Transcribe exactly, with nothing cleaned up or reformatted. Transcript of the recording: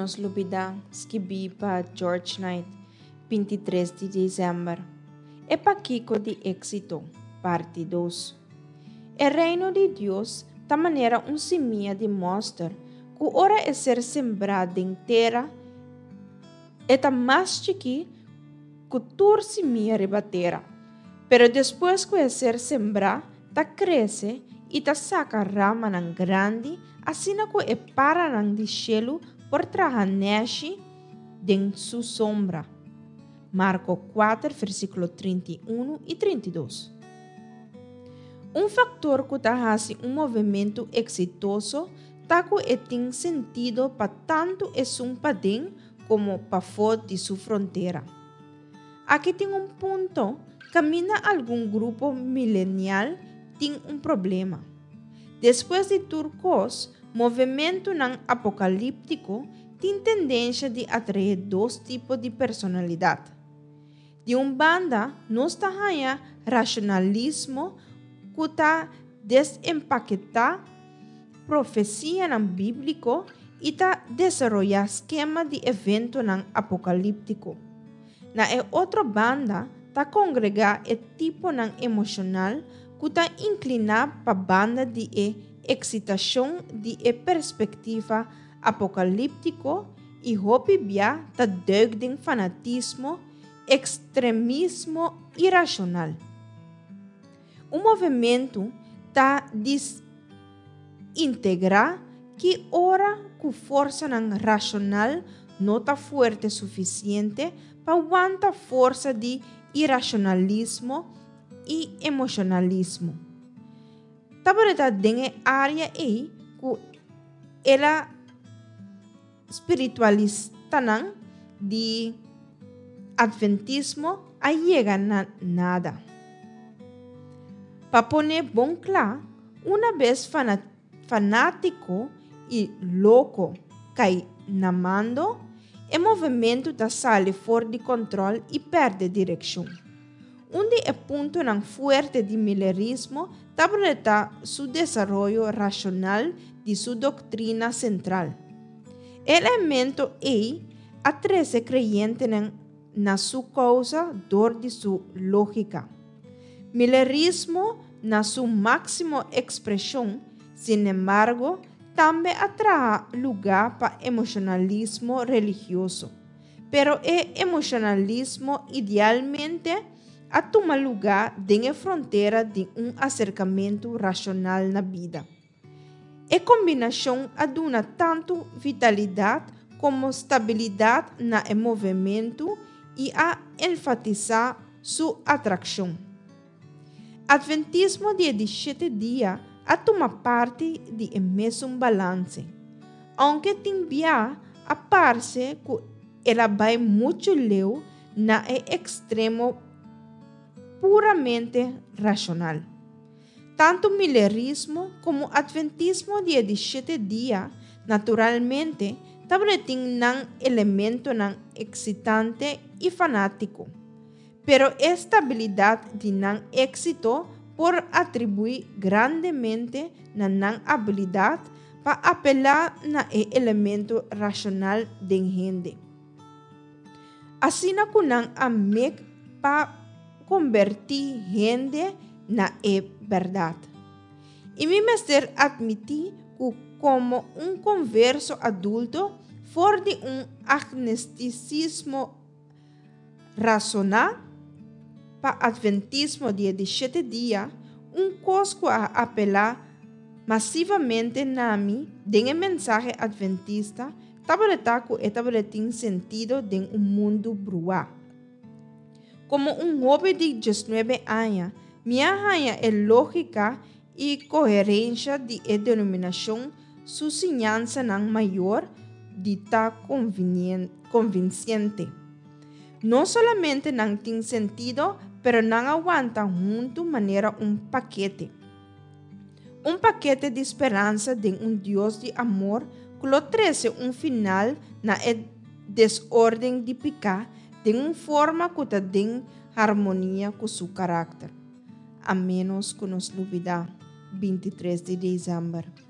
nos lubidá, skibí pa George Knight, binti tres di desèmber. E Pakiko di Éksito, parti dos. E Reino di Dios ta manera un simia di mòster ku ora e ser sembrá den tera, e ta mas chikí ku tur simia riba tera. Pero despues ku e ser sembrá, ta krese i ta saka ramanan grandi, asina ku e paranan di shelu por traha nèshi den su sombra. Marko kuater, versíkulo trinta i unu i trinta i dos. Un faktor ku ta hasi un movementu eksitoso ta ku e tin sentido pa tantu esun paden komo pafó di su frontera. Aki tin un punto kaminda algun grupo milenial tin un problema. Despues di tur kos, movementunan apokalíptiko tin tendensha di atraé dos tipo di personalidat. Di un banda nos ta haña rashonalismo ku ta desempaketá profesianan bíbliko i ta desaroyá skema di eventonan apokalíptiko. Na e otro banda ta kongregá e tiponan emoshonal ku ta inkliná pa banda di e eksitashon di e perspektiva apokalíptiko i hopi bia ta dùik den fanatismo, ekstremismo irashonal. Un movementu ta disintegrá ki ora ku forsanan rashonal no ta fuerte sufisiente pa wanta forsa di irashonalismo i emoshonalismo. Tabata den e área ei ku el a spiritualistanan di atventismo a yega na nada. Pa pone bon kla, una bes fanátiko i loko kai na mando, e movementu ta sali for di kòntròl i pèrdè direkshon. Un di e puntonan fuerte di milerismo tabata su desaroyo rashonal di su doktrina sentral. E elemento ei a trese kreyentenan na su kousa dor di su lógika. Milerismo na su máksimo ekspreshon, sinembargo, tambe a traha lugá pa emoshonalismo religioso. Pero e emoshonalismo idealmente a tuma lugá den e frontera di un aserkamentu rashonal na bida. E kombinashon a duna tantu vitalidat komo stabilidat na e movementu i a enfatisá su atrakshon. Atventismo di e di shete dia a tuma parti di e mesun balanse. Ounke tin bia a parse ku el a bai muchu leu na e ekstremo puramente rashonal. Tantu milerismo komo atventismo di e di shete dia, naturalmente, tabatin nan elementonan eksitante i fanátiko. Pero e stabilidat di nan éksito por atribuí grandemente na nan abilidat pa apelá na e elemento rashonal den hende. Asina ku nan a mek pa kombertí hende na e bèrdat. I mi mester atmití ku komo un konverso adulto for di un agnostisismo rasoná pa atventismo di e di shete dia, un kos ku a apelá masivamente na mi den e mensahe adventista tabata ku e tabatin sentido den un mundu bruá. Komo un hóben di diesnuebe aña, mi a haña e lógika i koherensha di e denominashon su siñansanan mayor di ta konvinsente. No solamente nan tin sentido, pero nan a wanta huntu manera un pakete. Un pakete di speransa den un Dios di amor ku lo trese un final na e desorden di piká den un forma ku ta den harmonia ku su karakter. A ménos ku nos lubidá, bintitres di desèmber.